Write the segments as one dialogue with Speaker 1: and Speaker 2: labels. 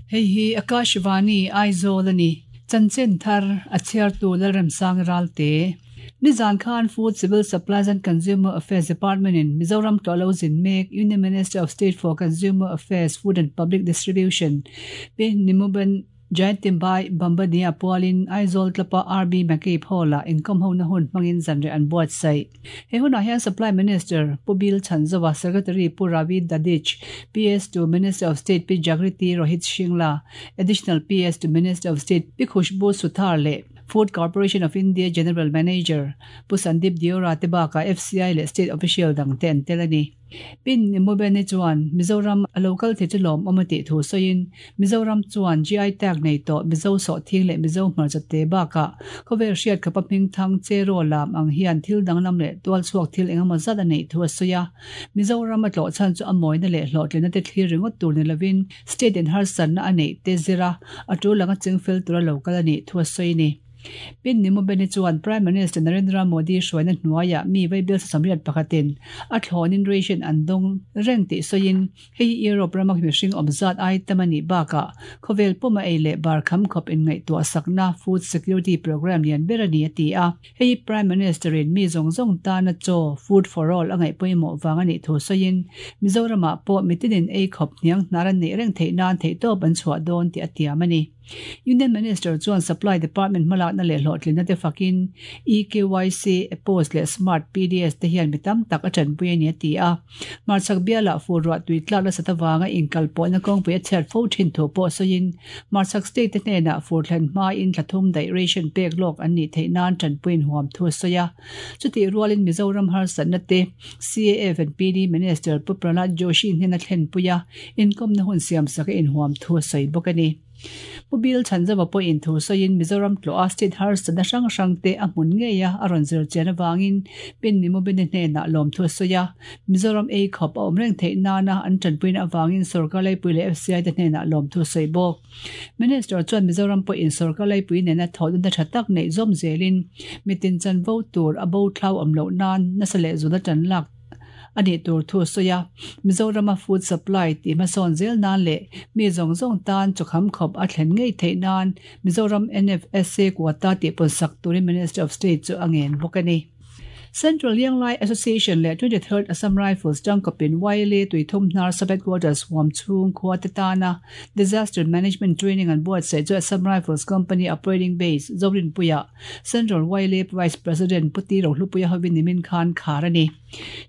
Speaker 1: Hei hi Akashvani Aizawl a ni. Chanchin thar a chhiartu Lalremsang Ralte. Nizan khan Food, Civil Supplies and Consumer Affairs Department in Mizoram tlawh lo zin mek Union Minister of State for Consumer Affairs, Food and Public Distribution Pi Nimuben Jayantimbai Bambania pualin Aizawl tlapa RB McCabe Hall-ah inkawmhona hun hmangin zanriah an buatsaih. He hunah hian Supply Minister Pu Bill Chhanzova, Secretary Pu Ravi Dadhich, PS to Minister of State Pi Jagriti Rohit Shingla, Additional PS to Minister of State Pi Khushbu Suthar leh Food Corporation of India General Manager Pu Sandeep Deora te bakah FCI leh State Official dangte an tel a ni. Pin Nimubeni chuan Mizoram a lo kal thei chu lawmawm a tih thu sawiin, Mizoram chuan GI tag nei tawh Mizo sawhthing leh Mizo hmarcha te bakah khawvel hriat khawpa hmingthang Cheraw lam ang hian thil danglam leh tualchhuak thil engemaw zat a neih thu a sawi a. Mizoram a tlawh chhan chu a mawina leh hlawhtlinna te thlir ringawt tur ni lovin state in harsatna a neih te zira a tul anga chingfel tura lo kal a nih thu a sawi a ni. Pin Nimubeni chuan Prime Minister Narendra Modi hruaina hnuaiah mi vaibel sasam riat pakhatin a thlawnin ration an dawng reng tih sawiin hei hi Europe rama mihring awm zat ai tam a nih bakah khawvel puma ei leh bar kham khawp inngaihtuah sakna food security programme lian ber a ni a ti a. Hei hi Prime Minister in mi zawng zawng tana chaw, food for all, a ngaih pawimawh vang a nih thu sawiin Mizoramah pawh mitinin ei khawp hniang hnar an neih reng theih nan theihtawp an chhuah dawn tih a tiam a ni. Union Minister chuan Supply Department hmalakna leh hlawhtlinna te fakin eKYC, ePOS leh Smart PDS te hian mi tam tak a tanpui a ni a ti a. Hmarchhak bialah fur ruah tui tlak nasat avanga inkalpawhna kawngpui a chhiat fo thin thu pawh sawiin Hmarchhak state te hnenah fur thlen hmain thla thum daih ration pek lawk an nih theih nan tanpuiin huam thu a sawi a. Chutih rualin Mizoram harsatna te CAF and PD Minister Pu Prahlad Joshi hnena thlenpui a, inkawmna hun siamsak a inhuam thu a sawi bawk a ni. Pu Bill Chhanzova pawhin thu sawiin Mizoram tlawh a state harsatna hrang hrang te a hmun ngei a a rawn zir chian avangin Pin Nimubini hnenah lawmthu a sawi a, Mizoram ei khawp a awm reng theih nana an tanpuina avangin sorkar laipui leh FCI te hnenah lawmthu a sawi bawk. Minister chuan Mizoram pawhin sorkar laipui nena thawhna tha tak neih zawm zelin mitin chanvo tur a bo thlau awm loh nan nasa leh zuna tan lak a nih tur thu a sawi a. Mizorama food supply tih hmasawn zel nan leh mi zawng zawng tan chawkham khawp a thlen ngei theih nan Mizoram NFSA quota tih pawnsak turin Minister of State chu a ngen bawk a ni. Central Lianglai Association leh 23rd Assam Rifles tangkawpin YLA Tuithum hnar Sub-Headquarters huam chhung khua te tana Disaster Management Training an buatsaih chu Assam Rifles Company Operating Base, Zorinpuia Central YLA Vice President Pu Ti Rohlupuia hovin nimin khan khar a ni.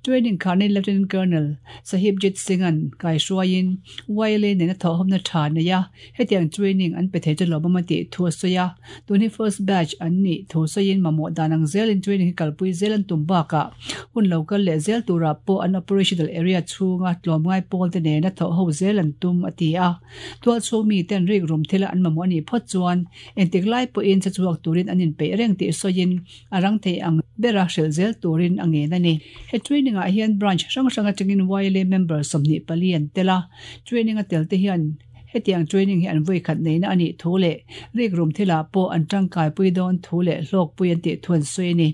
Speaker 1: Training kharnin Lieutenant Colonel Sahibjit Singh-a'n kaihruaiin YLA nena thawhawmna tha nei a, Hetiang training an pe thei chu lawmawm a tih thu a sawi a, tun hi first batch an nih thu sawiin mamawh dan ang zelin training hi kalpui zel an tum bakah hun lo kal leh zel turah pawh an operational area chhunga tlawmngai pawl te nena thawh ho zel an tum a ti a. Tual chhung mi ten rik rum thila an mamawh a nih phawt chuan engtik lai pawhin che chhuak turin an inpeih reng tih sawiin a rang thei ang bera hrilh zel turin a ngen a ni. He training ah hian branch hrang hrang atangin YLA member 24 an tel a, training a tel te hian Hetiang training hi an vawikhat neihna a nih thu leh rikrum thilah pawh an tangkaipui dawn thu leh hlawkpui an tih thu an sawi a ni.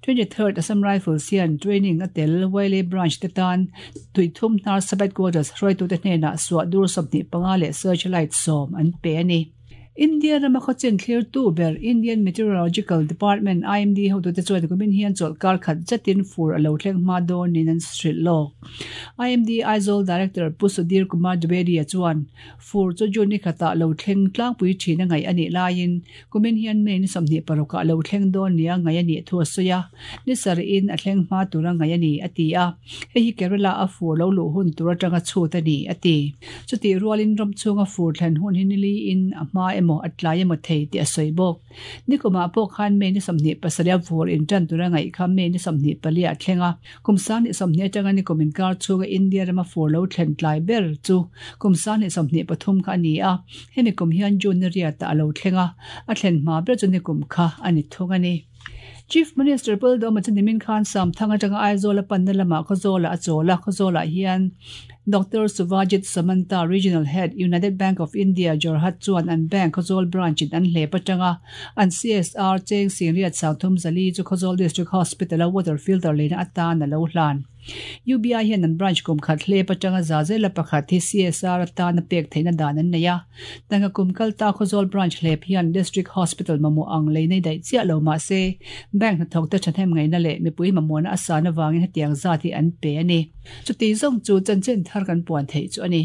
Speaker 1: 23rd Assam Rifles hian training a tel Wailay Branch te tan Tuithum hnar Sub-Headquarters hruaitute hnenah suah dur 25 leh search light 10 an pe a ni. India rama khawchin thlirtu ber Indian Meteorological Department, IMD, hotute chuan kumin hian chawlhkar khat zetin fur a lo thleng hma dawn niin an hrilh lawk. IMD Aizawl Director Pu Sudhir Kumar Dwivedi-a chuan fur chu June ni khatah lo thleng tlangpui thin a ngaih a nih laiin kumin hian May ni 26 ah lo thleng dawn nia ngaih a nih thu a sawi a, ni sarih in a thleng hma tura ngaih a ni, a ti a. Hei hi Kerala a fur lo luh hun tur atanga chhut a ni, a ti. Chutih rualin ram chhunga fur thlen hun hi niliin a hma emaw a tlai emaw thei tih a sawi bawk. Nikumah pawh khan May ni 27 a fur intan tura ngaih kha May ni 24 a thleng a. Kum 20 atanga nikum inkar chhunga India rama fur lo thlen tlai ber chu kum 2023 kha a ni a. Hemi kum hian June ni riatah a lo thleng a, a thlen hma ber chu nikum kha a ni thung a ni. Chief Minister Pu Lalduhoma chu nimin khan Samthang atanga Aizawl a panna lamah Khawzawlah a chawl a, Khawzawlah hian Doctor Suvajit Samanta, Regional Head, United Bank of India, Jorhat chuan an bank Khawzawl branch in an hlep atanga an CSR cheng Singriat Sangthum Zali chu Khawzawl District Hospital a water filter leina atan a lo hlan. UBI hian an branch kum khat hlep atanga za zela pakhat hi CSR atana pek theihna dan an nei a. Tanga kum kal ta Khawzawl branch hlep hian District Hospital mamawh ang lei nei daih chiah lo mah se, bank hnathawk te thahnem ngaihna leh mipui mamawhna a san avangin hetiang zat hi an pe a ni. Chuti zawng chu chanchin thar kan puan theih chu a ni.